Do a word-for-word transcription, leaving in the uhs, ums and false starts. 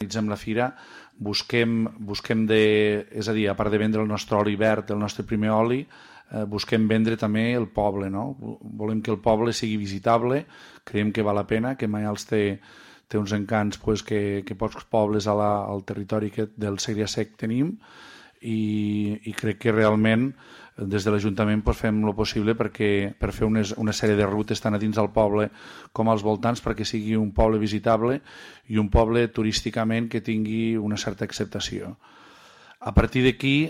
organitzem la fira, busquem, busquem de, és a dir, a part de vendre el nostre oli verd, el nostre primer oli, eh, busquem vendre també el poble, no? Volem que el poble sigui visitable, creiem que val la pena, que Maials té, té uns encants pues, que, que pocs pobles a la, al territori que del Segrià Sec tenim, i, i crec que realment des de l'Ajuntament pues, fem el possible perquè, per fer unes, una sèrie de rutes tant a dins del poble com als voltants perquè sigui un poble visitable i un poble turísticament que tingui una certa acceptació. A partir d'aquí